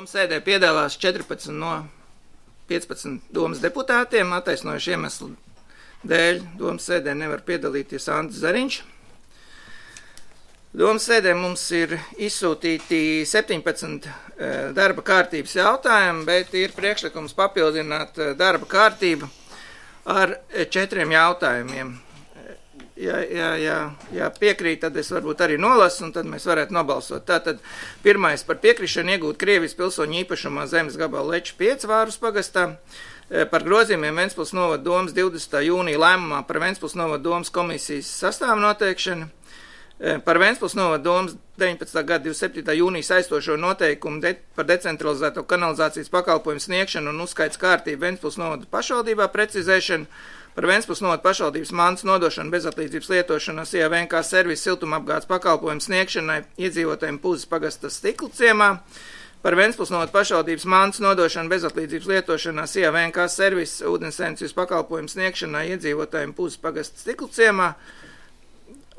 Domas sēdē piedalās 14 no 15 domas deputātiem. Attaisnojuši iemeslu dēļ domas sēdē nevar piedalīties Andris Zariņš. Domas sēdē mums ir izsūtīti 17 darba kārtības jautājumi, bet ir priekšlikums papildināt darba kārtību ar 4 jautājumiem. Ja piekrīt, tad es varbūt arī nolasu, un tad mēs varētu nobalsot. Tātad pirmais par piekrišanu iegūt Krievijas pilsoņu īpašumā zemes gabalu Leču 5 Vārus pagastā, par grozījumiem Ventspils novada domas 20. jūnija lēmumā par Ventspils novada domas komisijas sastāvu noteikšanu, par Ventspils novada domas 19. gada 27. jūnija saistošo noteikumu par decentralizēto kanalizācijas pakalpojumu sniegšanu un uzskaits kārtību Ventspils novada pašvaldībā precizēšanu, par Ventspils novada pašvaldības mantas nodošanu bezatlīdzības lietošanas IAVNK servisu siltumapgādes pakalpojumu sniegšanai iedzīvotājiem Puzes pagasta Stiklu ciemā, par Ventspils novada pašvaldības mantas nodošanu bezatlīdzības lietošanās IAVNK servisu ūdensensības pakalpojumu sniegšanai iedzīvotājiem Puzes pagasta Stiklu ciemā,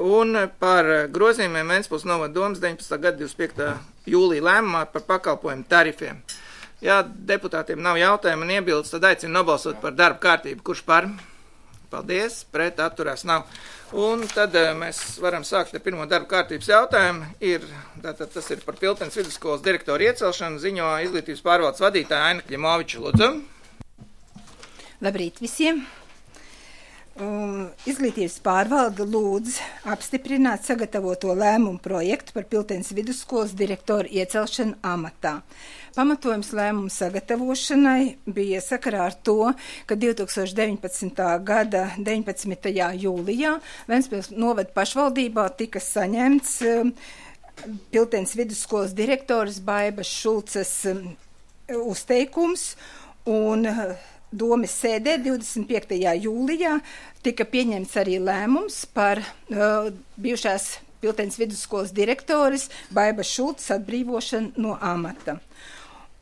un par grozījumiem Ventspils novada domas 19. gada 25. jūlija lēmumā par pakalpojumu tarifiem. Ja deputātiem nav jautājumu un iebildes, tad aicinu nobalsot par darba kārtību. Kurš par? Paldies, pret atturās nav. Un tad mēs varam sākt ar pirmo darba kārtības jautājumu. Tas ir par Piltenes vidusskolas direktoru iecelšanu, ziņo izglītības pārvaldes vadītāja Aina Kļimoviča. Lūdzu. Labrīt visiem! Izglītības pārvalde lūdz apstiprināt sagatavoto lēmumu projektu par Piltenes vidusskolas direktoru iecelšanu amatā. Pamatojums lēmumu sagatavošanai bija sakarā ar to, ka 2019. gada 19. jūlijā Ventspils novada pašvaldībā tika saņemts Piltenes vidusskolas direktors Baibas Šulces uzteikums, un domas sēdē 25. jūlijā tika pieņemts arī lēmums par bijušās Piltenes vidusskolas direktoris Baibas Šulces atbrīvošanu no amata.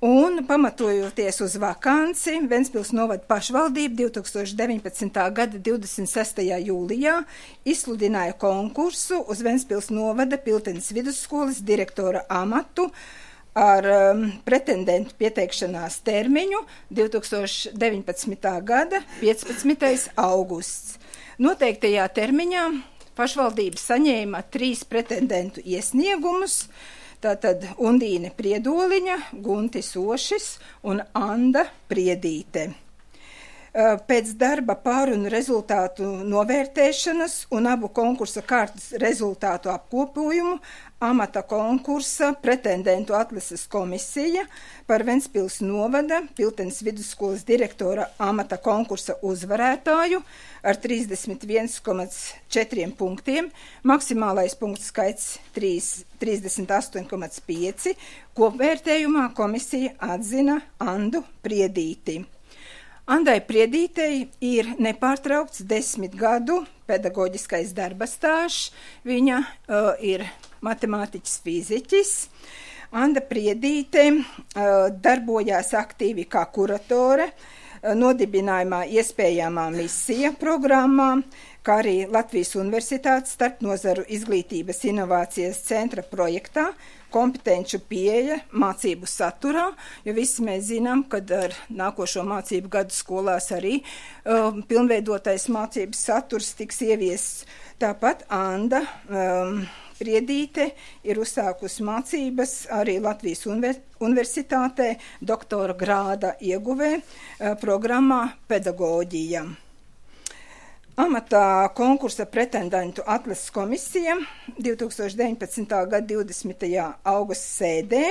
Un pamatojoties uz vakanci, Ventspils novada pašvaldība 2019. gada 26. jūlijā izsludināja konkursu uz Ventspils novada Piltenes vidusskolas direktora amatu ar pretendentu pieteikšanās termiņu 2019. gada 15. augusts. Noteiktajā termiņā pašvaldība saņēma 3 pretendentu iesniegumus, tātad Undīne Priedoliņa, Guntis Ošis un Anda Priedīte. Pēc darba pārunu rezultātu novērtēšanas un abu konkursa kārtas rezultātu apkopojumu amata konkursa pretendentu atlases komisija par Ventspils novada Piltenes vidusskolas direktora amata konkursa uzvarētāju ar 31,4 punktiem, maksimālais punktu skaits 38,5, kopvērtējumā komisija atzina Andu Priedīti. Andai Priedītei ir nepārtraukts 10 gadu pedagoģiskais darba stāžs. Viņa ir matemātiķis fiziķis. Anda Priedīte darbojās aktīvi kā kuratore nodibinājumā iespējamā misija programmā, kā arī Latvijas Universitātes starpnozaru izglītības inovācijas centra projektā kompetenču pieeja mācību saturā, jo visi mēs zinām, ka ar nākošo mācību gadu skolās arī pilnveidotais mācības saturs tiks ieviests. Tāpat Anda Priedīte ir uzsākusi mācības arī Latvijas Universitātē doktora grāda ieguvē programmā pedagoģija. Amatā konkursa pretendentu atlases komisija 2019. gada 20. augusta sēdē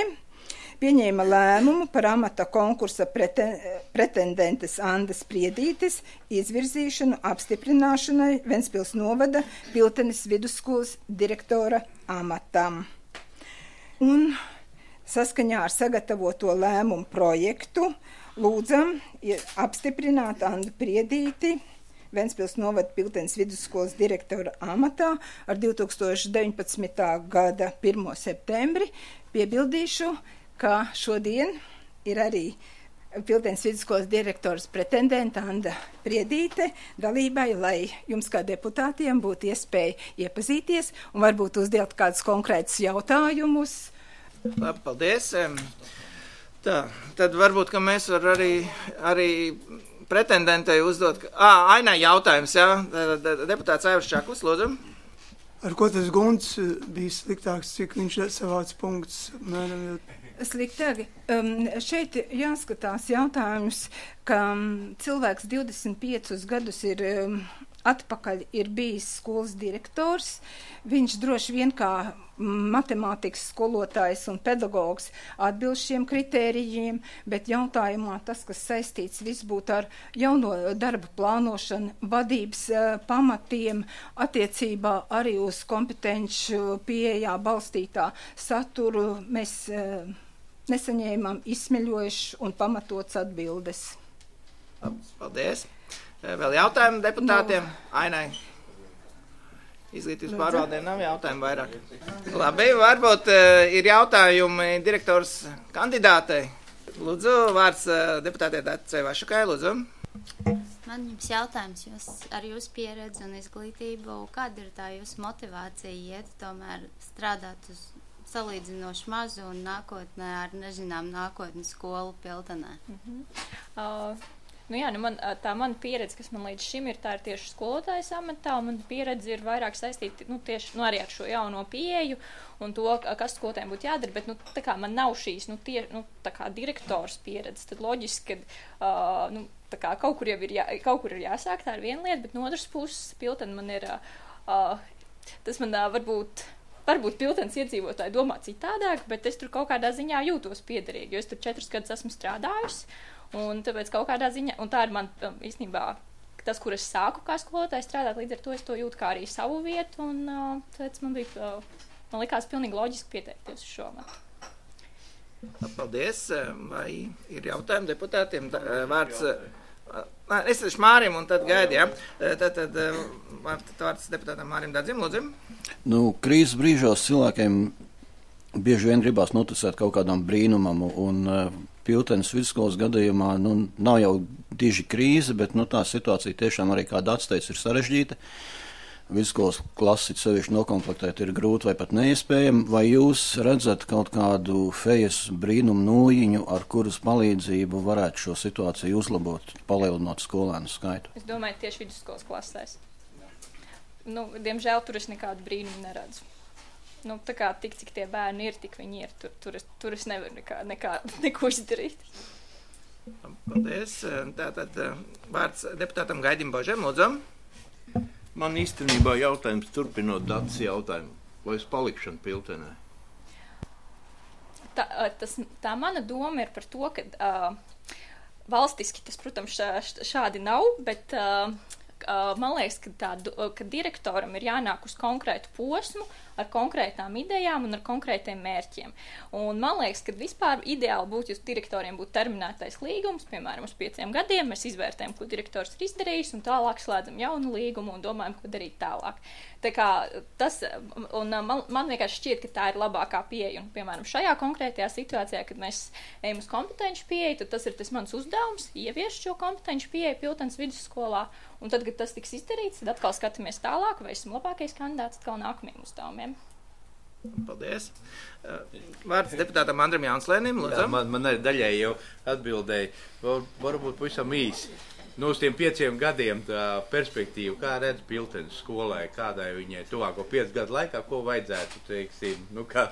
pieņēma lēmumu par amata konkursa pretendentes Andas Priedītes izvirzīšanu apstiprināšanai Ventspils novada Piltenes vidusskolas direktora amatam. Un saskaņā ar sagatavoto lēmumu projektu lūdzam apstiprināt Andu Priedīti Ventspils novada Piltenes vidusskolas direktora amatā ar 2019. gada 1. septembri. Piebildīšu, ka šodien ir arī Piltenes vidusskolas direktors pretendenta Anda Priedīte dalībai, lai jums kā deputātiem būtu iespēja iepazīties un varbūt uzdot kādus konkrētus jautājumus. Labi, paldies. Tā, tad varbūt, ka mēs var arī pretendentei uzdot, Ainai jautājums, jā, deputāts Aivars Čaklis, lūdzu. Ar ko tas Gunts bija sliktāks, cik viņš savāc punktus? Sliktāk. Šeit jāskatās jautājums, ka cilvēks 25 gadus ir atpakaļ ir bijis skolas direktors. Viņš droši vien kā matemātikas skolotājs un pedagogs atbilst šiem kritērijiem, bet jautājumā tas, kas saistīts viss būtu ar jauno darba plānošanu, vadības pamatiem, attiecībā arī uz kompetenču pieejā balstītā saturu, mēs nesaņēmām izsmeļojuši un pamatots atbildes. Paldies. Vēl jautājumu deputātiem? Ainai. Izglītības pārvaldē nav jautājumu vairāk. Labi, varbūt ir jautājumi direktors kandidātei. Lūdzu, vārds deputātei Dacei Vašukai, lūdzu. Man jums jautājums, ar jūsu pieredzi un izglītību, kāda ir tā jūsu motivācija iet tomēr strādāt uz salīdzinoši mazu un nākotnē ar nezinām nākotnes skolu Piltenē? Tā mana pieredze, kas man līdz šim ir, tā ir tieši skolotājas amatā, un mana pieredze ir vairāk saistīta tieši arī ar šo jauno pieeju un to, kas skolotājiem būtu jādara, bet tā kā man nav šīs tā kā direktors pieredze, tad loģiski, ka tā kā kaut kur ir jāsāk, tā ir viena lieta, bet no otras puses Piltena man ir, tas man varbūt Piltenes iedzīvotāji domā citādāk, bet es tur kaut kādā ziņā jūtos piederīgi, jo es tur 4 gadus esmu strādājusi. Un tāpēc kaut kādā ziņā, un tā ir man īstenībā tas, kur es sāku kā skolotāja strādāt, līdz ar to es to jūtu kā arī savu vietu, un tāpēc man likās pilnīgi loģiski pieteikties uz šo matu. Paldies. Vai ir jautājumi deputātiem? Vārds, es esmu Mārim un tad gaidi, ja? Tad vārds deputātam Mārim Dadzim, lūdzu. Krīzes brīžos cilvēkiem bieži vien gribās noticēt kaut kādam brīnumam, un Piltenes vidusskolas gadījumā nav jau diži krīze, bet tā situācija tiešām arī, kā Dats teica, ir sarežģīta. Vidusskolas klasi sevišķi nokomplektēt ir grūti vai pat neiespējami. Vai jūs redzat kaut kādu fejas brīnumu nūjiņu, ar kuras palīdzību varētu šo situāciju uzlabot, palielinot skolēnu skaitu? Es domāju, tieši vidusskolas klasēs. Diemžēl tur es nekādu brīnumu neredzu. Tā kā tik, cik tie bērni ir, tik viņi ir. Tur es nevaru neko izdarīt. Paldies. Tātad vārds deputātam Gaidim Božem, lūdzu. Man īstenībā jautājums turpinot Dats jautājumu. Vai es palikšanu Piltenē? Tā mana doma ir par to, ka valstiski tas, protams, šādi nav, bet man liekas, ka direktoram ir jānāk uz konkrētu posmu, ar konkrētām idejām un ar konkrētiem mērķiem. Un man liekas, ka vispār ideāli būtu, ja direktoriem būtu terminētais līgums, piemēram, uz 5 gadiem, mēs izvērtējam, ko direktors ir izdarījis, un tālāk slēdzam jaunu līgumu un domājam, ko darīt tālāk. Tā kā tas, un man vienkārši šķiet, ka tā ir labākā pieeja, un, piemēram, šajā konkrētajā situācijā, kad mēs ejam uz kompetenci pieeju, tad tas ir tas mans uzdevums, ieviest šo kompetenci pieeju Piltenes vidusskolā, un tad, kad tas tiks izdarīts, tad atkal skatāmies tālāk, vai esam labākais kandidāts atkal nākamajiem uzdevumiem. Paldies. Vārds deputātam Andram Jānslēnim, lūdzu. Man arī daļai jau atbildēja, varbūt pavisam īsi. Uz tiem 5 gadiem tā perspektīva, kā redz Piltenes skolai, kādai viņai tuvāko 5 gadu laikā, ko vajadzētu, teiksim, kā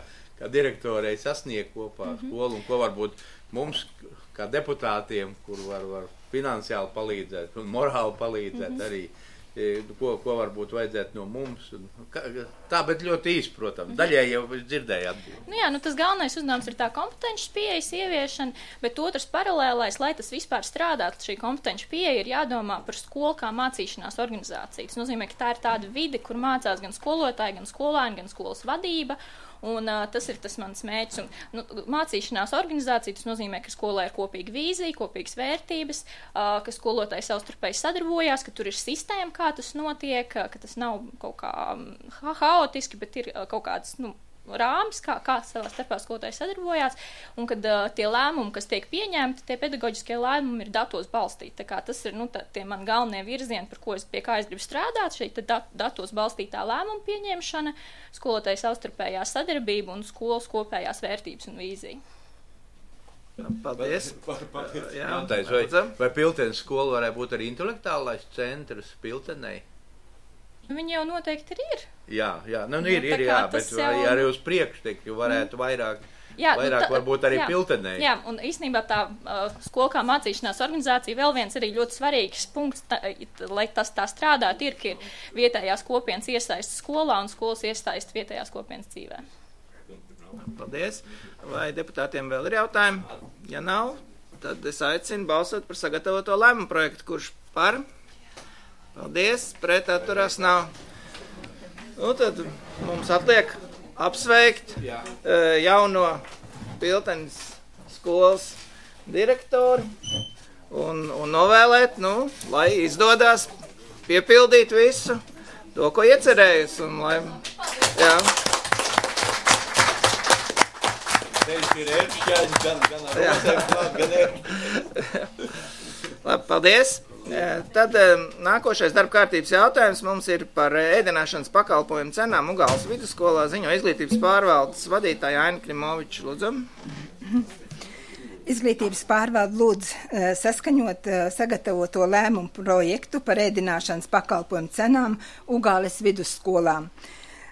direktorei sasniegt kopā skolu, un ko varbūt mums, kā deputātiem, kur var finansiāli palīdzēt un morāli palīdzēt arī, ko varbūt vajadzētu no mums. Tā, bet ļoti īsti, protams. Daļai jau dzirdēju atbildi. Tas galvenais uzdevums ir tā kompetences pieejas ieviešana, bet otrs paralēlais, lai tas vispār strādātu, šī kompetences pieeja ir jādomā par skolu kā mācīšanās organizāciju. Tas nozīmē, ka tā ir tāda vide, kur mācās gan skolotāji, gan skolēni, gan skolas vadība. Un tas ir tas mans mērķis. Mācīšanās organizācija, tas nozīmē, ka skolē ir kopīga vīzija, kopīgas vērtības, ka skolotāji savstarpēji sadarbojās, ka tur ir sistēma, kā tas notiek, ka tas nav kaut kā haotiski, bet ir kaut kāds, rāmis, kā savā starpā skolotāji sadarbojās, un kad tie lēmumi, kas tiek pieņemti, tie pedagoģiskie lēmumi ir datos balstīti. Tā kā tas ir, tie man galvenie virzieni, pie kā es gribu strādāt, šeit datos balstītā lēmuma pieņemšana, skolotāju savstarpējā sadarbība un skolas kopējās vērtības un vīzija. Paldies. Vai Piltenes skola varētu būt arī intelektuālais centrs Piltenei? Viņi jau noteikti ir. Jā, bet arī uz priekšu varētu vairāk varbūt arī Piltenei. Jā, un īstenībā tā skola kā mācīšanās organizācija vēl viens arī ļoti svarīgs punkts, lai tas tā strādāt, ir, ka ir vietējās kopienas iesaist skolā un skolas iesaist vietējās kopienas dzīvē. Paldies. Vai deputātiem vēl ir jautājumi? Ja nav, tad es aicinu balsot par sagatavoto lēmumu projektu. Kurš par? Paldies. Pret atturās nav. Nu, tad mums atliek apsveikt jauno Piltenes skolas direktoru un novēlēt, lai izdodas piepildīt visu to, ko iecerējis. Un lai, jā. Labi, paldies. Tad nākošais darba kārtības jautājums mums ir par ēdināšanas pakalpojumu cenām Ugāles vidusskolā, ziņo izglītības pārvaldes vadītāja Aina Klimoviča. Lūdzu. Izglītības pārvalde lūdz saskaņot sagatavoto lēmumu projektu par ēdināšanas pakalpojumu cenām Ugāles vidusskolām.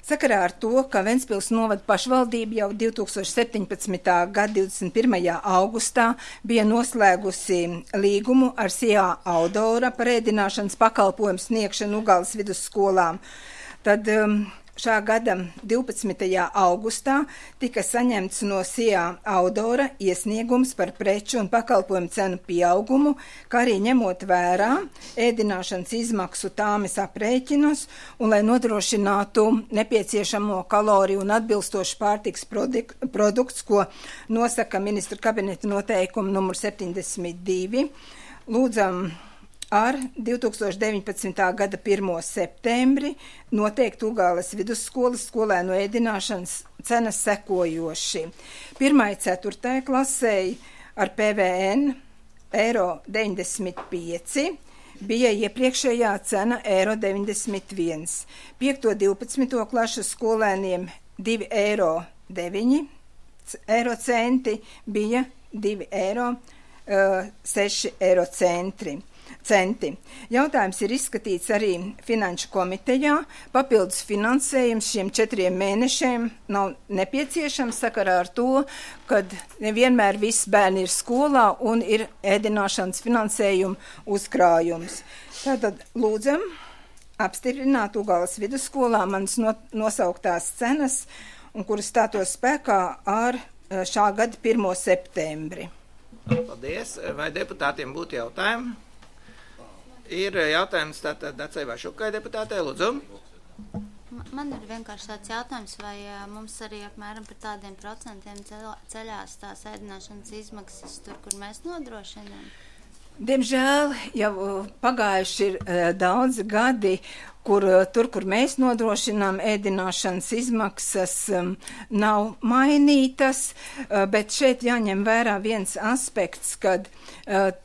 Sakarā ar to, ka Ventspils novada pašvaldība jau 2017. gada 21. augustā bija noslēgusi līgumu ar SIA Audora par ēdināšanas pakalpojumu sniegšanu Ugāles vidusskolām, tad šā gada 12. augustā tika saņemts no SIA Audora iesniegums par preču un pakalpojumu cenu pieaugumu, kā arī ņemot vērā ēdināšanas izmaksu tāmes aprēķinus un lai nodrošinātu nepieciešamo kaloriju un atbilstošu pārtiks produkts, ko nosaka ministru kabineta noteikumu numur 72, lūdzam ar 2019. gada 1. septembri noteikt Ugāles vidusskolas skolēnu ēdināšanas cenas sekojoši. 1.4. klasei ar PVN €95 bija iepriekšējā cena €91. 5.12. klašu skolēniem €2,09 bija €2,06. Jautājums ir izskatīts arī Finanšu komitejā. Papildus finansējums šiem 4 mēnešiem nav nepieciešams sakarā ar to, kad nevienmēr visi bērni ir skolā un ir ēdināšanas finansējuma uzkrājums. Tātad lūdzam apstiprināt Ugāles vidusskolā manas nosauktās cenas, un kuras stātos spēkā ar šā gada 1. septembri. Paldies. Vai deputātiem būtu jautājumi? Ir jautājums tātad Dacei Vašukai deputātei, lūdzu. Man ir vienkārši tāds jautājums, vai mums arī apmēram par tādiem procentiem ceļās tās ēdināšanas izmaksas tur, kur mēs nodrošinām? Diemžēl jau pagājuši ir daudzi gadi, kur mēs nodrošinām ēdināšanas izmaksas nav mainītas, bet šeit jāņem vērā viens aspekts, kad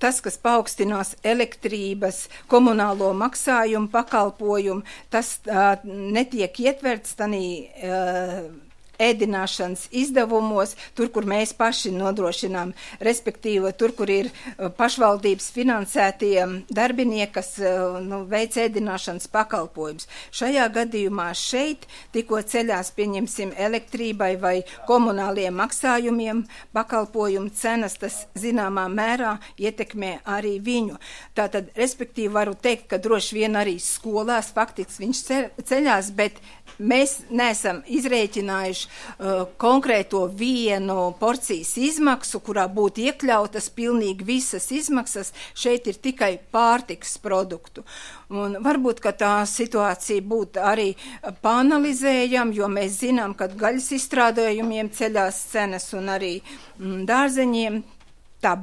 tas, kas paaugstinās elektrības, komunālo maksājumu pakalpojumu, tas netiek ietverts tanī ēdināšanas izdevumos, tur, kur mēs paši nodrošinām, respektīvi tur, kur ir pašvaldības finansētie darbinieki, kas veic ēdināšanas pakalpojums. Šajā gadījumā šeit tikko ceļās, pieņemsim, elektrībai vai komunāliem maksājumiem pakalpojumu cenas, tas zināmā mērā ietekmē arī viņu. Tātad, respektīvi, varu teikt, ka droši vien arī skolās faktiski viņš ceļās, bet mēs neesam izrēķinājuši konkrēto vienu porcijas izmaksu, kurā būtu iekļautas pilnīgi visas izmaksas. Šeit ir tikai pārtikas produktu. Un varbūt, ka tā situācija būtu arī pāanalizējama, jo mēs zinām, ka gaļas izstrādājumiem ceļās cenas un arī dārzeņiem,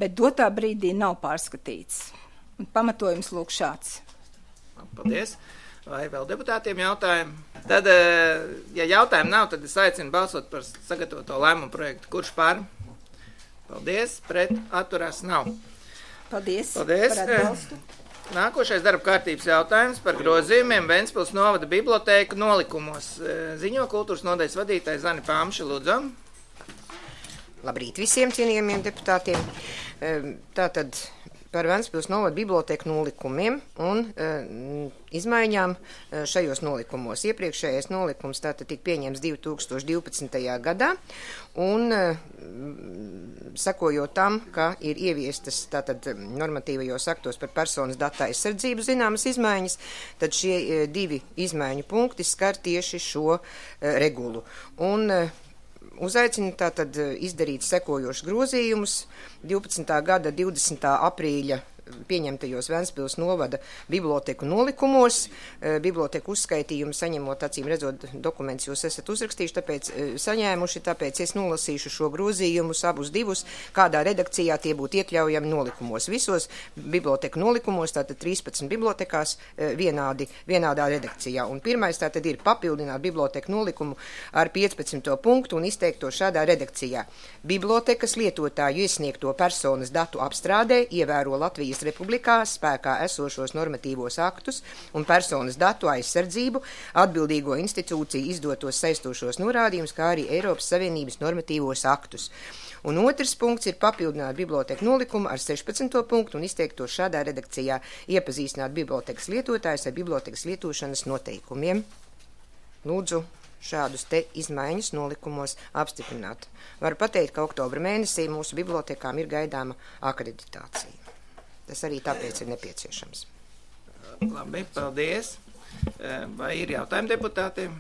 bet dotā brīdī nav pārskatīts. Un pamatojums lūk šāds. Paldies. Vai vēl deputātiem jautājumi? Tad, ja jautājumu nav, tad es aicinu balsot par sagatavoto lēmumu projektu. Kurš par? Paldies. Pret atturās nav. Paldies. Paldies. Par atbalstu. Nākošais darba kārtības jautājums par grozījumiem Ventspils novada bibliotēku nolikumos. Ziņo kultūras nodaļas vadītāja Zani Pāmša, lūdzu. Labrīt visiem cienījamiem deputātiem. Tātad par Ventspils novada bibliotēku nolikumiem un izmaiņām šajos nolikumos. Iepriekšējais nolikums tātad tika pieņems 2012. gadā un sakojot tam, ka ir ieviestas tātad normatīvajos aktos par personas datu aizsardzību zināmas izmaiņas, tad šie divi izmaiņu punkti skar tieši šo regulu. Un uzaicinu tātad izdarīt sekojošus grozījumus 12. gada 20. aprīļa pieņemtajos Ventspils novada biblioteku nolikumos. Biblioteku uzskaitījumu saņemot, acīm redzot, dokumentus jūs esat uzrakstījuši, tāpēc es nolasīšu šo grozījumus abus divus, kādā redakcijā tie būtu iekļaujami nolikumos. Visos biblioteku nolikumos, tātad 13 bibliotekās vienādā redakcijā. Un pirmais tātad ir papildināt biblioteku nolikumu ar 15. punktu un izteikt to šādā redakcijā. Bibliotekas lietotāju iesniegto personas datu apstrādē ievēro Latvijas Republikā spēkā esošos normatīvos aktus un personas datu aizsardzību, atbildīgo institūciju izdotos saistošos norādījumus, kā arī Eiropas Savienības normatīvos aktus. Un otrs punkts ir papildināt biblioteku nolikumu ar 16. punktu un izteikt to šādā redakcijā, iepazīstināt bibliotekas lietotājus ar bibliotekas lietošanas noteikumiem. Lūdzu šādus te izmaiņas nolikumos apstiprināt. Varu pateikt, ka oktobra mēnesī mūsu bibliotekām ir gaidāma akreditācija. Tas arī tāpēc ir nepieciešams. Labi, paldies. Vai ir jautājumi deputātiem?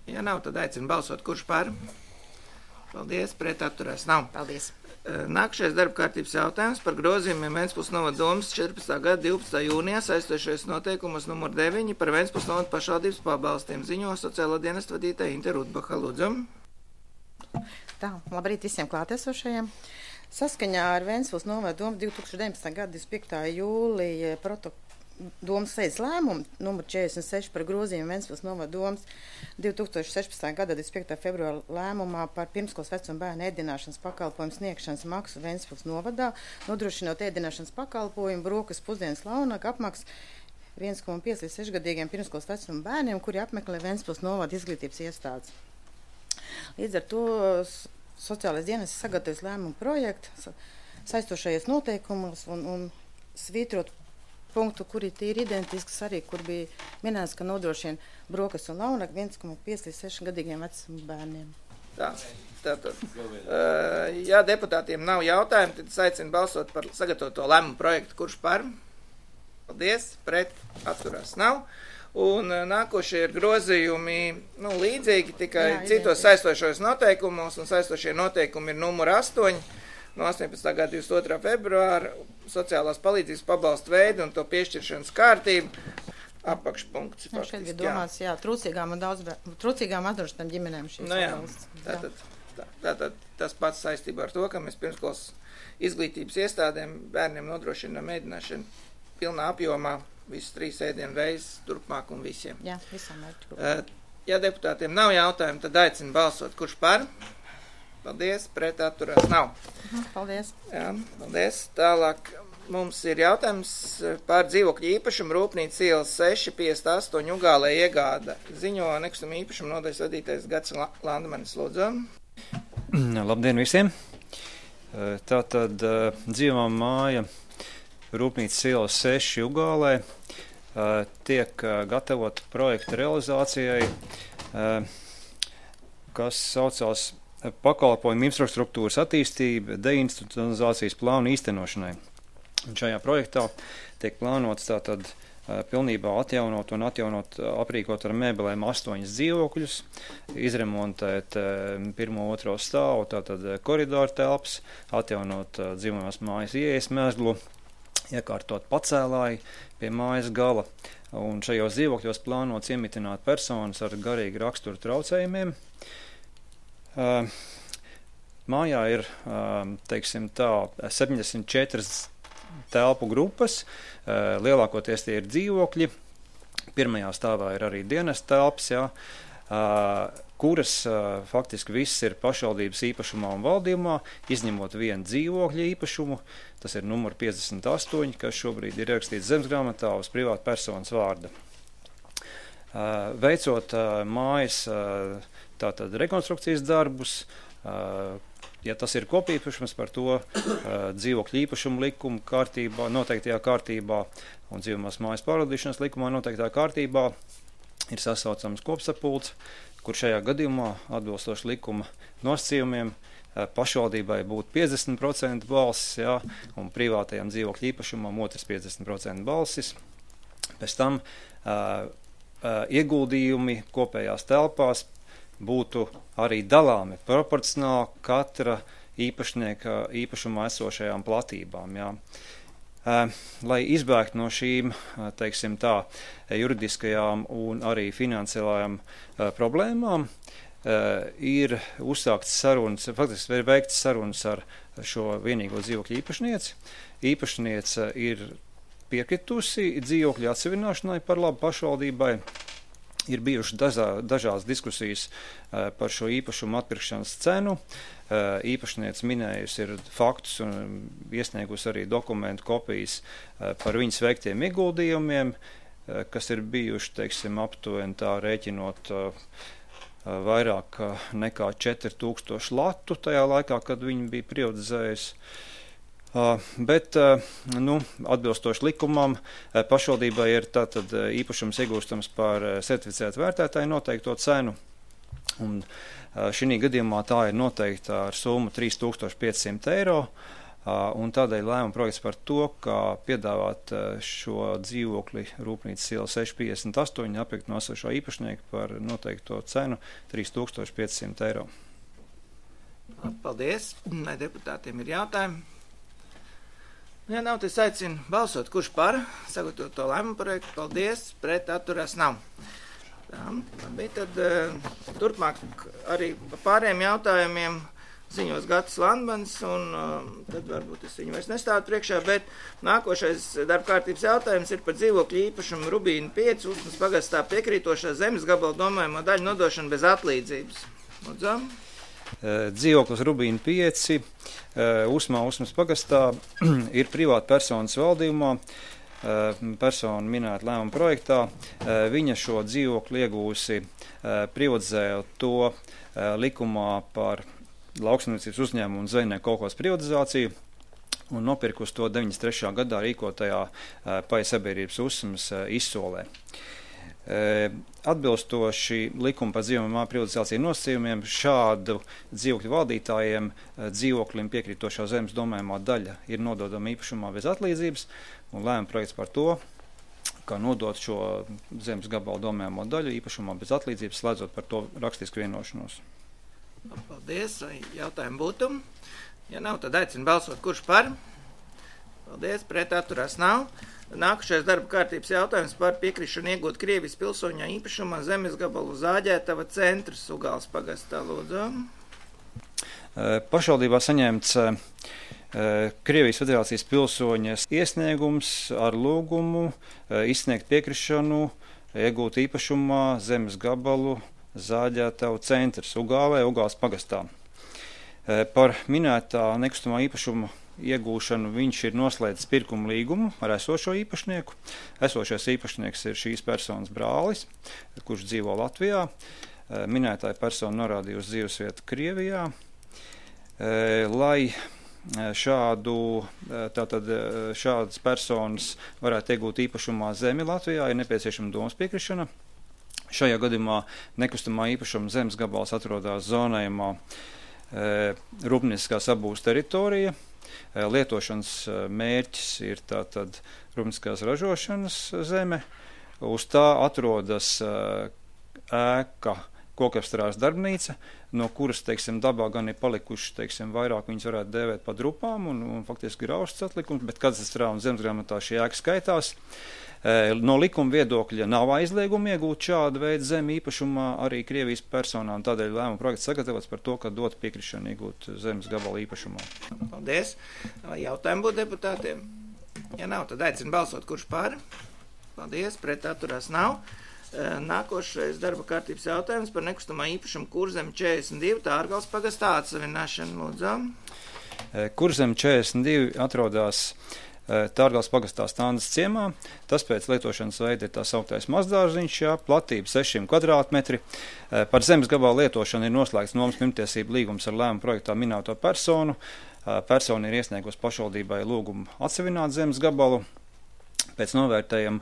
Ja nav, tad aicinu balsot, kurš par. Paldies, pret atturēs nav. Paldies. Nākamais darba kārtības jautājums par grozījumiem Ventspils novada domas 14. gada 12. jūnijā saistošais noteikumus numur 9 par Ventspils novada pašvaldības pabalstiem. Ziņo sociālo dienestu vadītāja Inte Rudbaha. Lūdzu. Tā, labrīt visiem klātesošajiem. Saskaņā ar Ventspils novada domu 2019. gada 25. jūlija domas sēdes lēmumu numur 46 par grozījumu Ventspils novada domas 2016. gada 25. februāra lēmumā par pirmskolas vecuma bērnu ēdināšanas pakalpojumu sniegšanas maksu Ventspils novadā, nodrošinot ēdināšanas pakalpojumu, brokas, pusdienas, launaku apmaksu 1,5 līdz 6 gadīgiem pirmskolas vecuma bērniem, kuri apmeklē Ventspils novada izglītības iestādes. Līdz ar to sociālais dienas sagatavojas lēmumu projektu saistošajos noteikumos un svītrot punktu, kuri ir identisks arī, kur bija minēts, ka nodrošina brokas un launaku 1,5 līdz 6 gadīgiem vecuma bērniem. Tātad. Ja deputātiem nav jautājumu, tad es aicinu balsot par sagatavoto lēmumu projektu. Kurš par? Paldies, pret atturās nav. Un nākošie ir grozījumi līdzīgi, tikai citos saistošos noteikumos, un saistošie noteikumi ir numur 8 no 18. gada 22. februāra sociālās palīdzības pabalstu veidu un to piešķiršanas kārtību. Apakšpunkts. Šeit bija domāts, trūcīgām atdrošinām ģimenēm šīs pabalsts. Tātad tas pats saistībā ar to, ka mēs pirmskolas izglītības iestādēm bērniem nodrošinām ēdināšanu pilnā apjomā. Visas 3 ēdienu reizes turpmāk un visiem. Jā, visam mērķi. Ja deputātiem nav jautājumu, tad aicinu balsot. Kurš par? Paldies, pret atturās nav. Paldies. Jā, paldies. Tālāk mums ir jautājums par dzīvokļu īpašumu Rūpnīcas ielas 658 Ugālē iegāda. Ziņo nekustamā īpašuma nodaļas vadītājs Gats Landmanis. Lūdzu. Labdien visiem. Tātad dzīvā māja Rūpnīcas ielas 6 Ugālē tiek gatavot projekta realizācijai, kas saucās pakalpojumu infrastruktūras attīstība deinstitucionalizācijas plānu īstenošanai. Un šajā projektā tiek plānots tātad pilnībā atjaunot, aprīkot ar mēbelēm 8 dzīvokļus, izremontēt 1. 2. stāvu, tātad koridoru telpas, atjaunot dzīvojamās mājas ieejas mezglu, iekārtot pacēlāju pie mājas gala. Un šajos dzīvokļos plānots iemitināt personas ar garīgu raksturu traucējumiem. Mājā ir, 74 telpu grupas, lielākoties tie ir dzīvokļi. Pirmajā stāvā ir arī dienas telpas, kuras faktiski viss ir pašvaldības īpašumā un valdījumā, izņemot vienu dzīvokļu īpašumu, tas ir numur 58, kas šobrīd ir ierakstīts zemesgrāmatā uz privāta personas vārda. Veicot mājas tātad rekonstrukcijas darbus, Ja tas ir kopīpašums, par to dzīvokļu īpašumu likuma kārtībā, noteiktajā kārtībā un dzīvamās mājas pārvaldīšanas likumā noteiktā kārtībā ir sasaucams kopsapulcs, kur šajā gadījumā atbilstoši likuma nosacījumiem pašvaldībai būtu 50% balsis, jā, un privātajam dzīvokļu īpašumam otrs 50% balsis. Pēc tam ieguldījumi kopējās telpās būtu arī dalāmi proporcionāli katra īpašnieka īpašumā esošajām platībām. Jā. Lai izbēgtu no šīm, teiksim tā, juridiskajām un arī finansiālajām problēmām, ir uzsākts sarunas, faktiski ir veikts sarunas ar šo vienīgo dzīvokļu īpašnieci. Īpašniece ir piekritusi dzīvokļu atsevināšanai par labu pašvaldībai. Ir bijušas dažādas diskusijas par šo īpašumu atpirkšanas cenu. Īpašniece minējusi ir faktus un iesniegusi arī dokumentu kopijas par viņas veiktiem ieguldījumiem, kas ir bijuši, teiksim, aptuveni tā rēķinot vairāk nekā 4000 latu tajā laikā, kad viņa bija privatizējusi. Bet, atbilstoši likumam, pašvaldībai ir tātad īpašums iegūstams par certificētu vērtētāju noteikto cenu, un šī gadījumā tā ir noteikta ar summu 3500 eiro, un tādēļ lēmuma projekts par to, kā piedāvāt šo dzīvokli Rūpnīcas iela 658 apirkt no esošā īpašnieka par noteikto cenu 3500 eiro. Paldies, vai deputātiem ir jautājumi? Ja nav, tad aicinu balsot, kurš par sagatavot to lēmumu projektu. Paldies, pret atturās nav. Tā, labi, tad turpmāk arī par pārējiem jautājumiem ziņos Gatis Landmans, un tad varbūt es viņu vairs nestādu priekšā, bet nākošais darba kārtības jautājums ir par dzīvokļu īpašumu Rubīna 5, Usmas pagastā piekrītošā zemes gabala domājamo daļu nodošanu bez atlīdzības. Lūdzu. Dzīvoklis Rubīna 5, Usmas pagastā ir privāta personas valdījumā, persona minēta lēmuma projektā. Viņa šo dzīvokli iegūsi privatizēja to likumā par lauksaimniecības uzņēmumu un zvejnieku kolhozas privatizāciju un nopirkusi to 93. gadā rīkotajā Paja sabiedrības Usmas izsolē. Atbilstoši likuma par dzīvojamā privatizāciju nosacījumiem šādu dzīvokļu valdītājiem dzīvoklim piekrītošā zemes domājumā daļa ir nododama īpašumā bez atlīdzības, un lēmuma projekts par to, kā nodot šo zemes gabalu domājamo daļu īpašumā bez atlīdzības, slēdzot par to rakstisku vienošanos. Paldies, vai jautājumi būtu? Ja nav, tad aicinu balsot, kurš par? Paldies, pret atturās nav. Nākušais darba kārtības jautājums par piekrišanu iegūt Krievijas pilsoņā īpašumā zemes gabalu Zāģētava centrs Ugāles pagastā. Lūdzu. Pašvaldībā saņemts Krievijas federācijas pilsoņas iesniegums ar lūgumu izsniegt piekrišanu iegūt īpašumā zemes gabalu Zāģētava centrs Ugālē, Ugāles pagastā. Par minētā nekustamā īpašuma iegūšanu viņš ir noslēdzis pirkuma līgumu ar esošo īpašnieku. Esošais īpašnieks ir šīs personas brālis, kurš dzīvo Latvijā. Minētāja persona norādīja uz dzīvesvietu Krievijā. Lai šādas personas varētu iegūt īpašumā zemi Latvijā, ir nepieciešama domas piekrišana. Šajā gadījumā nekustamā īpašuma zemes gabals atrodas zonējumā rūpnieciskās apbūves teritorija. Lietošanas mērķis ir tātad rūpnieciskās ražošanas zeme. Uz tā atrodas ēka kokapstrādes darbnīca, no kuras, teiksim, dabā gan ir palikuši, teiksim, vairāk viņas varētu dēvēt pa drupām un faktiski grausts atlikums, bet katastrā un zemesgrāmatā šī ēka skaitās. No likuma viedokļa nav aizlieguma iegūt šādu veidu zemi īpašumā arī Krievijas personām, tādēļ lēmuma projekts sagatavots par to, ka dot piekrišanu iegūt zemes gabalu īpašumā. Paldies. Vai jautājumi būtu deputātiem? Ja nav, tad aicinu balsot, kurš par. Paldies, pret atturās nav. Nākošais darba kārtības jautājums par nekustamā īpašumu Kurzeme 42, Tārgales pagastā atsevināšanu. Lūdzu. Kurzeme 42 atrodas Tārgales pagastā Standas ciemā. Tas pēc lietošanas veida ir tā sauktais mazdārziņš, platība 600 kvadrātmetri. Par zemes gabalu lietošanu ir noslēgts nomas pirmtiesību līgums ar lēmumu projektā minēto personu. Persona ir iesniegusi pašvaldībai lūgumu atsevināt zemes gabalu. Pēc novērtējuma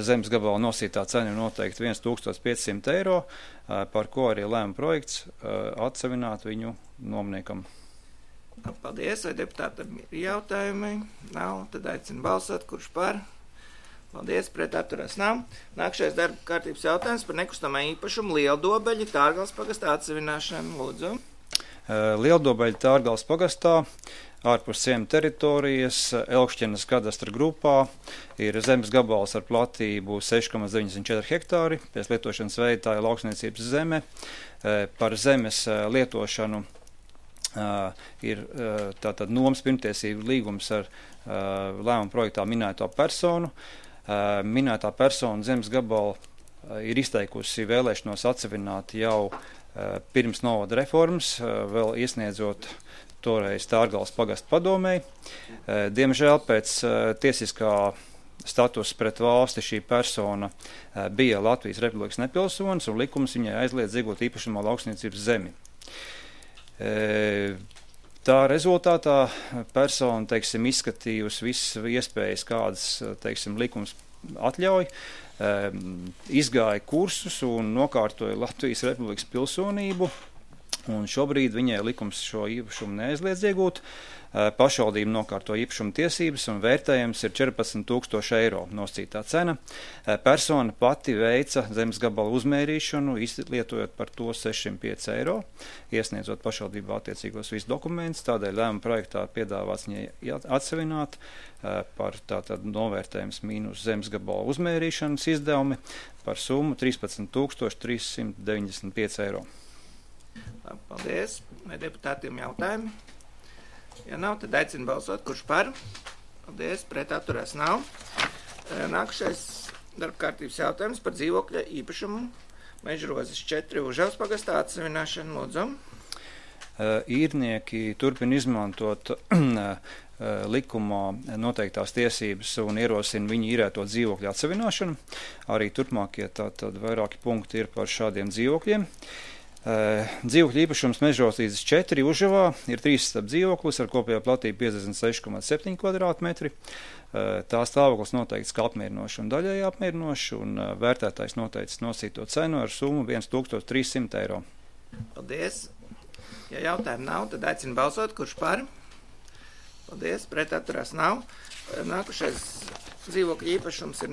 zemes gabala nosītā cena ir noteikti 1500 eiro, par ko arī lēma projekts atsevināt viņu nomniekam. Paldies, vai deputātam ir jautājumi? Nav, tad aicinu balsot, kurš par? Paldies, pret atturās nav. Nākšais darba kārtības jautājums par nekustamā īpašumu Lieldobeļa Tārgales pagastā atsevināšanu. Lūdzu. Lieldobeļa Tārgales pagastā ārpus ciema teritorijas Elkšķenes kadastra grupā ir zemes gabals ar platību 6,94 hektāri. Pēc lietošanas veida tā ir lauksniecības zeme. Par zemes lietošanu ir tātad nomas pirmtiesību līgums ar lēmumu projektā minēto personu. Minētā persona zemes gabalu ir izteikusi vēlēšanos atsevināt jau pirms novada reformas, vēl iesniedzot toreiz Tārgales pagasta padomei. Diemžēl pēc tiesiskā status pret valsti šī persona bija Latvijas Republikas nepilsonis un likums viņai aizliedz iegūt īpašumā lauksniecības zemi. Tā rezultātā persona, izskatījusi visas iespējas, kādas, likums atļauj, izgāja kursus un nokārtoja Latvijas Republikas pilsonību, un šobrīd viņai likums šo īpašumu neaizliedz iegūt. Pašvaldība nokārto īpašuma tiesības un vērtējums ir 14,000 eiro nosacītā cena. Persona pati veica zemes gabalu uzmērīšanu, izlietojot par to 605 eiro, iesniedzot pašvaldībā attiecīgos visus dokumentus. Tādēļ lēmuma projektā piedāvāts viņai atsevināt par tātad novērtējums mīnus zemes gabalu uzmērīšanas izdevumi par summu 13,395 eiro. Paldies. Vai deputātiem jautājumi? Ja nav, tad aicinu balsot, kurš par. Paldies, pret atturās nav. Nākušais darba kārtības jautājums par dzīvokļa īpašumu Mežrozes 4 Užavas pagastā atsevināšanu. Lūdzu. Īrnieki turpina izmantot likumā noteiktās tiesības un ierosina viņu īrēto dzīvokļu atsevināšanu. Arī turpmākie tātad vairāki punkti ir par šādiem dzīvokļiem. Dzīvokļu īpašums Mežrozes 4 Užavā ir 3 stāvu dzīvoklis ar kopējo platību 56,7 kvadrātmetri. Tā stāvoklis noteikts kā apmierinošs un daļēji apmierinošs, un vērtētājs noteicis nosīto cenu ar summu 1300 eiro. Paldies. Ja jautājumu nav, tad aicinu balsot, kurš par. Paldies, pret atturās nav. Nākušais dzīvokļu īpašums ir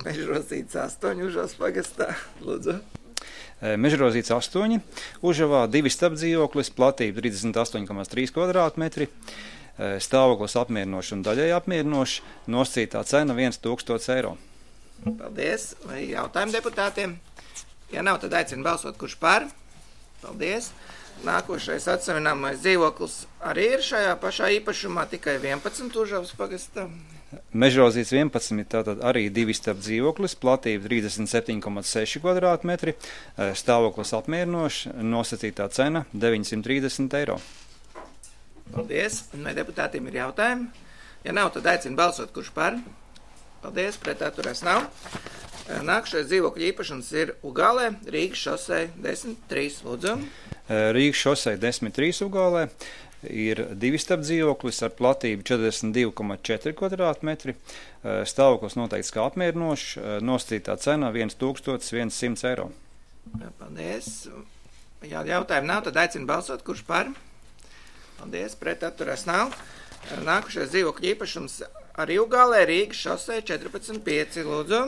Mežrozītes 8 Užavas pagastā. Lūdzu. Mežrozītes 8 Užavā 2 stāvu dzīvoklis, platība 38,3 kvadrātmetri, stāvoklis apmierinošs un daļēji apmierinošs, nosacītā cena 1000 eiro. Paldies. Vai jautājumi deputātiem? Ja nav, tad aicinu balsot, kurš par. Paldies. Nākošais atsevināmais dzīvoklis arī ir šajā pašā īpašumā, tikai 11 Užavas pagastā. Mežrozītes 11 tātad arī 2 stāvu dzīvoklis, platība 37,6 kvadrātmetri, stāvoklis apmierinošs, nosacītā cena 930 eiro. Paldies. Vai deputātiem ir jautājumi? Ja nav, tad aicinu balsot, kurš par. Paldies, pret atturās nav. Nākušais dzīvokļu īpašums ir Ugālē, Rīgas šosei 10-3. Lūdzu. Rīgas šosei 10-3 Ugālē ir 2 stāvu dzīvoklis ar platību 42,4 kvadrātmetri, stāvoklis noteikts kā apmierinošs, nosacītā cena 1100 eiro. Paldies. Ja jautājumu nav, tad aicinu balsot, kurš par. Paldies, pret atturās nav. Nākušais dzīvokļu īpašums arī Ugālē, Rīgas šosei 14,5. Lūdzu.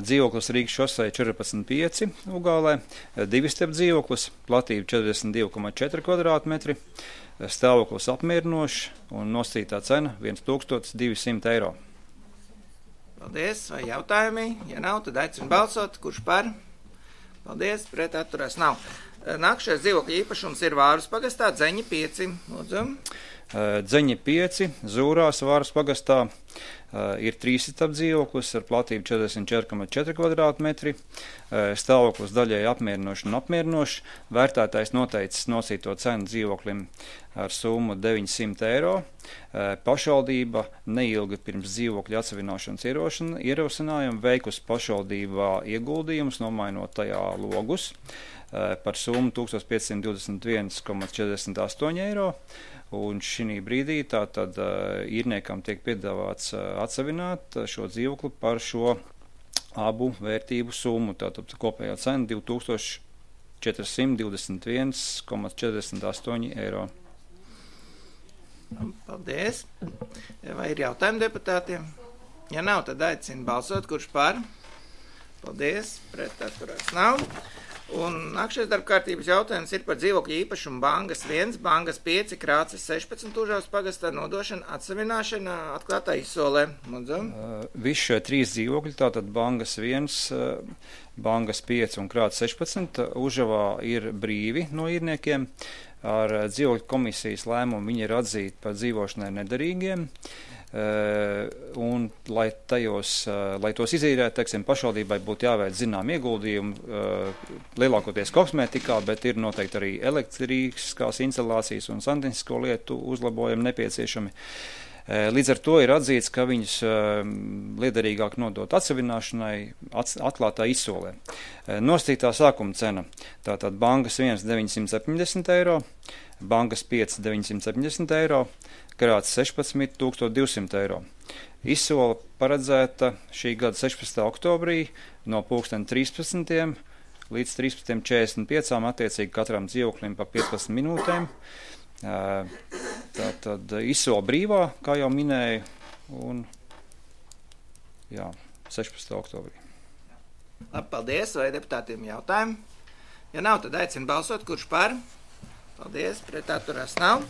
Dzīvoklis Rīgas šosei 14,5 Ugālē, 2 stāvu dzīvoklis, platība 42,4 kvadrātmetri, stāvoklis apmierinošs un nosacītā cena 1200 eiro. Paldies. Vai jautājumi? Ja nav, tad aicinu balsot, kurš par. Paldies, pret atturās nav. Nākušais dzīvokļu īpašums ir Vārus pagastā, Dzeņi 5. Lūdzu. Dzeņi 5 Zūrās Vārus pagastā, Ir 3 etapu dzīvoklis ar platību 44,4 kvadrātmetri, stāvoklis daļēji apmierinoši un apmierinoši. Vērtētājs noteicis nosīto cenu dzīvoklim ar summu 900 eiro. Pašvaldība neilgi pirms dzīvokļa atsevināšanas ierosinājumu veikusi pašvaldībā ieguldījumus, nomainot tajā logus par summu 1521,48 eiro. Un šī brīdī tātad īrniekam tiek piedāvāts atsevināt šo dzīvokli par šo abu vērtību summu. Tātad kopējā cena 2421,48 eiro. Paldies. Vai ir jautājumi deputātiem? Ja nav, tad aicinu balsot, kurš par. Paldies. Pret atturās nav. Un nākšais darbkārtības jautājums ir par dzīvokļu īpašumu Bangas 1, Bangas 5, Krāces 16 Užavas pagastā nodošana atsevināšana atklātā izsolē. Visi šie 3 dzīvokļi, tātad Bangas 1, Bangas 5 un Krāces 16 Užavā ir brīvi no īrniekiem. Ar dzīvokļu komisijas lēmumu viņi ir atzīti par dzīvošanai nederīgiem. Un, lai tos izīrētu, teiksim, pašvaldībai būtu jāveic zinām ieguldījumi, lielākoties kosmētikā, bet ir noteikti arī elektriskās instalācijas un santehnisko lietu uzlabojumi nepieciešami. Līdz ar to ir atzīts, ka viņus liederīgāk nodot atsevināšanai atklātā izsolē. Nostītā sākuma cena, tātad Bangas 1 970 eiro, Bangas 5 970 eiro, Krāces 16 1200 eiro. Izsola paredzēta šī gada 16. oktobrī no 13:00 līdz 13:45 attiecīgi katram dzīvoklim pa 15 minūtēm. Tātad izsola brīvā, kā jau minēju, un 16. oktobrī. Labi, paldies, vai deputātiem jautājumi? Ja nav, tad aicinu balsot, kurš par. Paldies, pret atturās nav.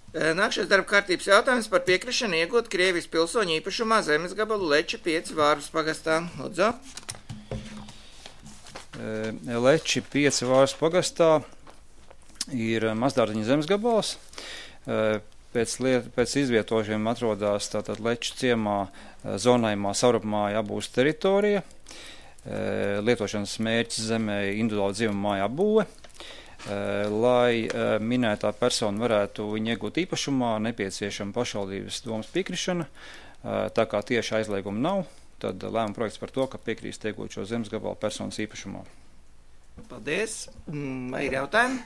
Nākšais darba kārtības jautājums par piekrišanu iegūt Krievijas pilsoņu īpašumā zemes gabalu Leči 5 Vārvas pagastā. Lūdzu. Leči 5 Vārvas pagastā ir Mazdārziņa zemes gabals. Pēc izvietošiem atrodas tātad Leču ciemā zonājumā Saurapmāja apbūves teritorija. Lietošanas mērķis zemē individuāla dzīvuma māja apbūve. Lai minētā persona varētu viņu iegūt īpašumā, nepieciešama pašvaldības domas piekrišana. Tā kā tieši aizlieguma nav, tad lēmuma projekts par to, ka piekrīst iegūt šo zemes gabalu personas īpašumā. Paldies. Vai ir jautājumi?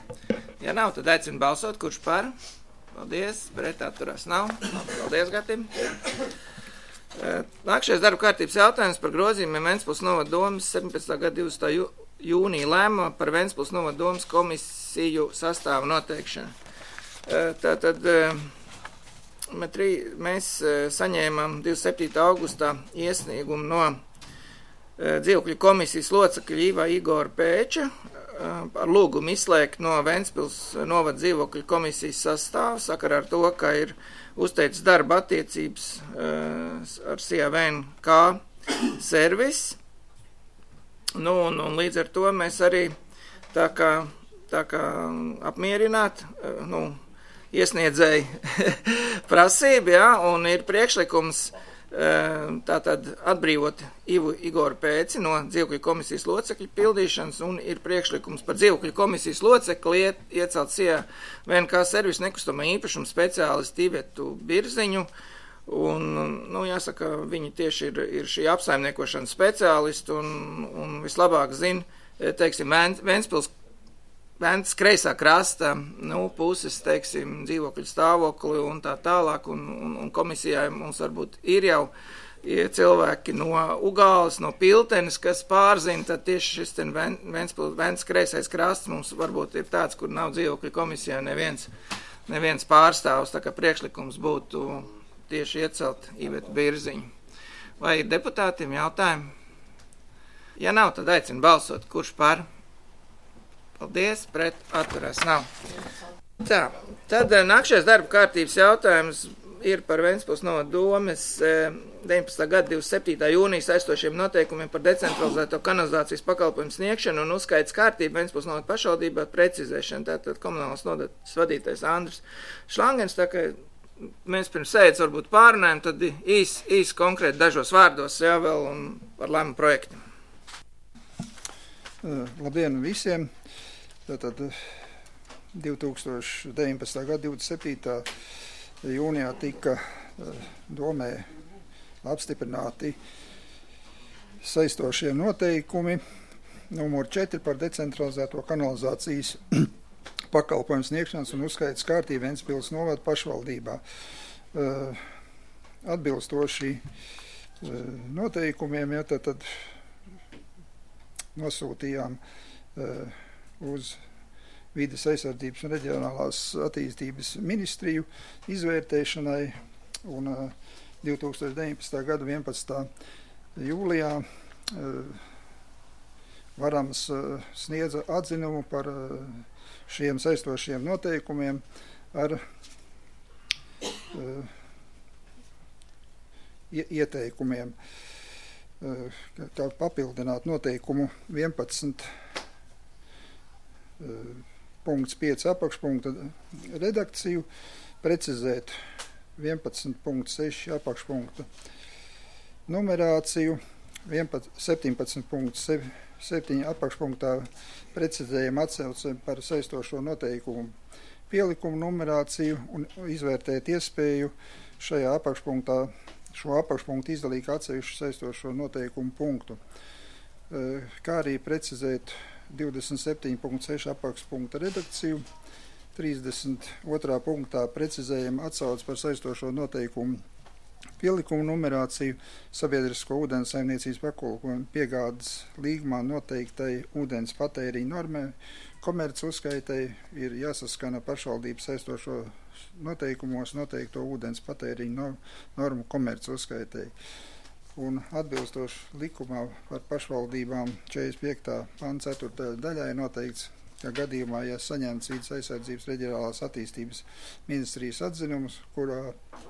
Ja nav, tad aicinu balsot, kurš par. Paldies. Pret atturās nav. Paldies, Gatim. Nākšais darba kārtības jautājums par grozījumiem Ventspils novada domas 17. gada 20. jūnija lēmuma par Ventspils novada domas komisiju sastāvu noteikšanu. Tātad mēs saņēmām 27. augustā iesniegumu no dzīvokļu komisijas locekļa Iva Igora Pēča ar lūgumu izslēgt no Ventspils novada dzīvokļu komisijas sastāvu sakarā ar to, ka ir uzteicis darba attiecības ar CVNK servis. Un līdz ar to mēs arī tā kā apmierināt, iesniedzēju prasību, un ir priekšlikums tātad atbrīvot Ivu Igoru Pēci no dzīvokļu komisijas locekļu pildīšanas, un ir priekšlikums par dzīvokļu komisijas locekli iecelt CVNK servisu nekustamā īpašuma speciālistu Ivetu Birziņu. Un, jāsaka, viņi tieši ir šī apsaimniekošanas speciālisti un vislabāk zina, teiksim, Ventspils kreisā krasta, puses, teiksim, dzīvokļu stāvokli un tā tālāk, un komisijai mums varbūt ir jau cilvēki no Ugāles, no Piltenes, kas pārzina, tad tieši šis Ventspils kreisais krasts mums varbūt ir tāds, kur nav dzīvokļu komisijā neviens pārstāvs, tā kā priekšlikums būtu tieši iecelt Ivetu Birziņu. Vai ir deputātiem jautājumi? Ja nav, tad aicinu balsot, kurš par. Paldies, pret atturās nav. Tā, tad nākšais darba kārtības jautājums ir par Ventspils novada domes 19. gada 27. jūnija saistošiem noteikumiem par decentralizēto kanalizācijas pakalpojumu sniegšanu un uzskaitas kārtību Ventspils novada pašvaldībā precizēšanu. Tātad komunālās nodaļas vadītājs Andris Šlangens, tā kā mēs pirms sēdes varbūt pārunājam, tad īs konkrēti dažos vārdos, jā, vēl un par lēmumu projektu. Labdien visiem! Tātad 2019. gada 27. jūnijā tika domē apstiprināti saistošie noteikumi numur 4 par decentralizēto kanalizācijas pakalpojumu sniegšanas un uzskaitas kārtību Ventspils novada pašvaldībā. Atbilstoši noteikumiem, ja, tad nosūtījām uz Vides aizsardzības un reģionālās attīstības ministriju izvērtēšanai, un 2019. gada 11. jūlijā Varams sniedza atzinumu par šiem saistošiem noteikumiem ar ieteikumiem, kā papildināt noteikumu 11.5 apakšpunkta redakciju, precizēt 11.6 apakšpunkta numerāciju, 17.7 apakšpunktā precizējam atsauci par saistošo noteikumu pielikumu numerāciju un izvērtēt iespēju šajā apakšpunktā šo apakšpunktu izdalīt atsevišķu saistošo noteikumu punktu, kā arī precizēt 27.6 apakšpunkta redakciju, 32. punktā precizējam atsauci par saistošo noteikumu pielikumu numerāciju sabiedrisko ūdens saimniecības pakalpojumu piegādes līgumā noteiktai ūdens patēriņa normai, komerc uzskaitai ir jāsaskana pašvaldības saistošo noteikumos noteikto ūdens patēriņa normu komerc uzskaitai. Un atbilstoši likumā par pašvaldībām 45. pants 4. daļai noteikts, ka gadījumā, ja saņemts Vides aizsardzības reģionālās attīstības ministrijas atzinums, kurā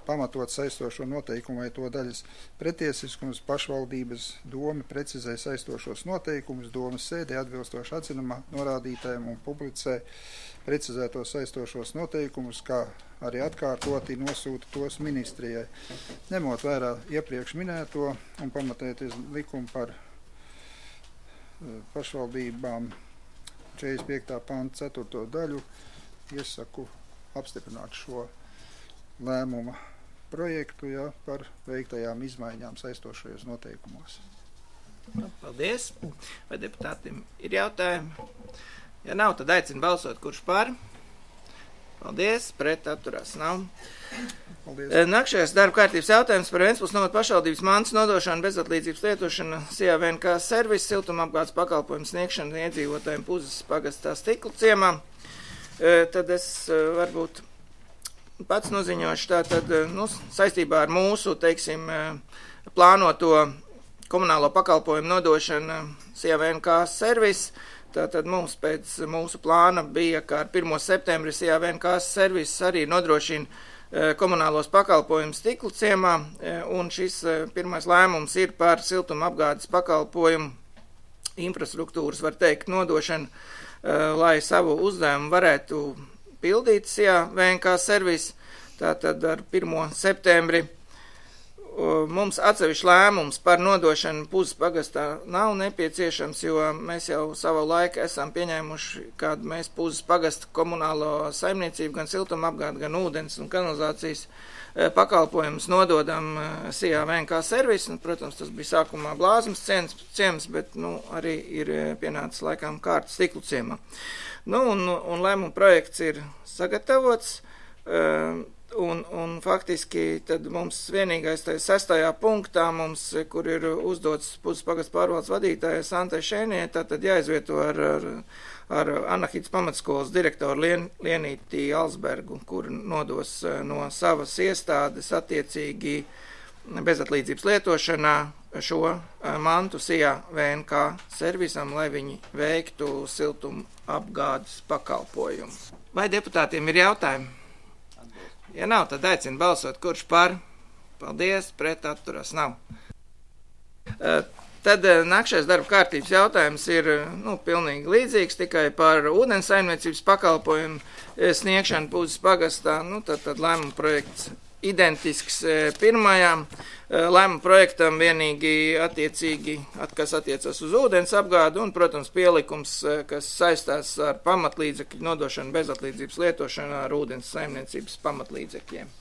pamatot saistošo noteikumu vai to daļas pretiesiskums, pašvaldības doma precizē saistošos noteikumus, domas sēdē atbilstoši atzinumā norādītājiem un publicē precizētos saistošos noteikumus, kā arī atkārtoti nosūta tos ministrijai. Ņemot vērā iepriekš minēto un pamatēties likumu par pašvaldībām 45. panta 4. daļu, iesaku apstiprināt šo lēmuma projektu, ja, par veiktajām izmaiņām saistošajos noteikumos. Paldies! Vai deputātiem ir jautājumi? Ja nav, tad aicinu balsot, kurš par. Paldies, pret atturās nav. Paldies. Nākšais darba kārtības jautājums par Ventspils novada pašvaldības mantas nodošanu, bezatlīdzības lietošanu, SIA VNK servisu, siltumapgādes pakalpojumu sniegšanu iedzīvotājiem Puzes pagastā Stiklu ciemā. Tad es varbūt pats noziņošu tātad, saistībā ar mūsu, teiksim, plānoto komunālo pakalpojumu nodošanu SIA VNK servisu. Tātad mums pēc mūsu plāna bija, ka ar 1. septembri SIA VNK servis arī nodrošina komunālos pakalpojumus Stiklu ciemā, un šis pirmais lēmums ir par siltumapgādes pakalpojumu infrastruktūras, var teikt, nodošanu, lai savu uzdevumu varētu pildīt SIA VNK servis. Tātad ar 1. septembri mums atsevišķi lēmums par nodošanu Puzes pagastā nav nepieciešams, jo mēs jau savu laiku esam pieņēmuši, kad mēs Puzes pagasta komunālo saimniecību, gan siltumapgādi, gan ūdens un kanalizācijas pakalpojumus nododam SIA VNK servisu. Un, protams, tas bija sākumā Blāzmas ciems, bet arī ir pienācis laikam kārtas Stiklu ciemā. Un lēmuma projekts ir sagatavots. Un faktiski tad mums vienīgais tajā 6. punktā, kur ir uzdots Puzes pagasta pārvaldes vadītāja Santai Šēnie, tad jāizvieto ar Anahītas pamatskolas direktoru Lienīti Alsbergu, kur nodos no savas iestādes attiecīgi bezatlīdzības lietošanā šo mantu SIA VNK servisam, lai viņi veiktu siltumapgādes pakalpojumu. Vai deputātiem ir jautājumi? Ja nav, tad aicinu balsot, kurš par. Paldies, pret atturas nav. Tad nākšais darba kārtības jautājums ir pilnīgi līdzīgs, tikai par ūdens saimniecības pakalpojumu sniegšanu Pūzes pagastā. Tad lēmuma projekts identisks pirmajām. Lēmuma projektam vienīgi attiecīgi, kas attiecas uz ūdens apgādi un, protams, pielikums, kas saistās ar pamatlīdzekļu nodošanu bezatlīdzības lietošanu ar ūdens saimniecības pamatlīdzekļiem.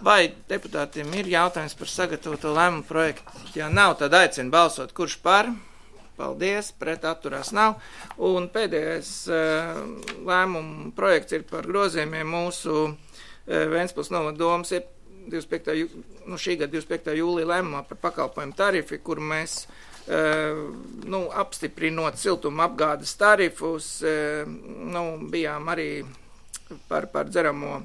Vai deputātiem ir jautājums par sagatavoto lēmumu projektu? Ja nav, tad aicinu balsot, kurš par. Paldies, pret atturās nav. Un pēdējais lēmumu projekts ir par grozījumiem mūsu Ventspils novada domas ir šī gada 25. jūlija lēmumā par pakalpojumu tarifi, kur mēs apstiprinot siltuma apgādes tarifus, bijām arī par dzeramo,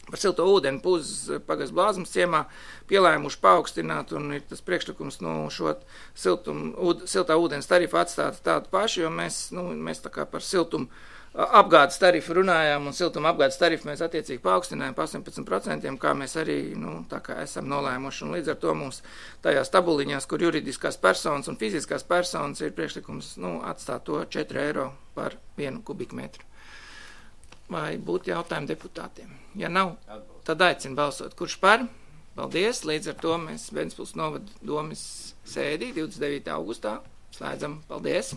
par silto ūdeni Pūzes pagasts Blāzmas ciemā pielēmuši paaugstināt, un ir tas priekšlikums šo siltā ūdens tarifu atstāt tādu pašu, jo mēs tā kā par siltumu apgādes tarifu runājām, un siltuma apgādes tarifu mēs attiecīgi paaugstinājām pa 18%, kā mēs arī tā kā esam nolēmuši. Un līdz ar to mums tajās tabuliņās, kur juridiskās personas un fiziskās personas ir priekšlikums atstāt to 4 eiro par 1 kubikmetru. Vai būtu jautājumi deputātiem? Ja nav, tad aicinu balsot. Kurš par? Paldies. Līdz ar to mēs Ventspils novada domas sēdī 29. augustā slēdzam. Paldies.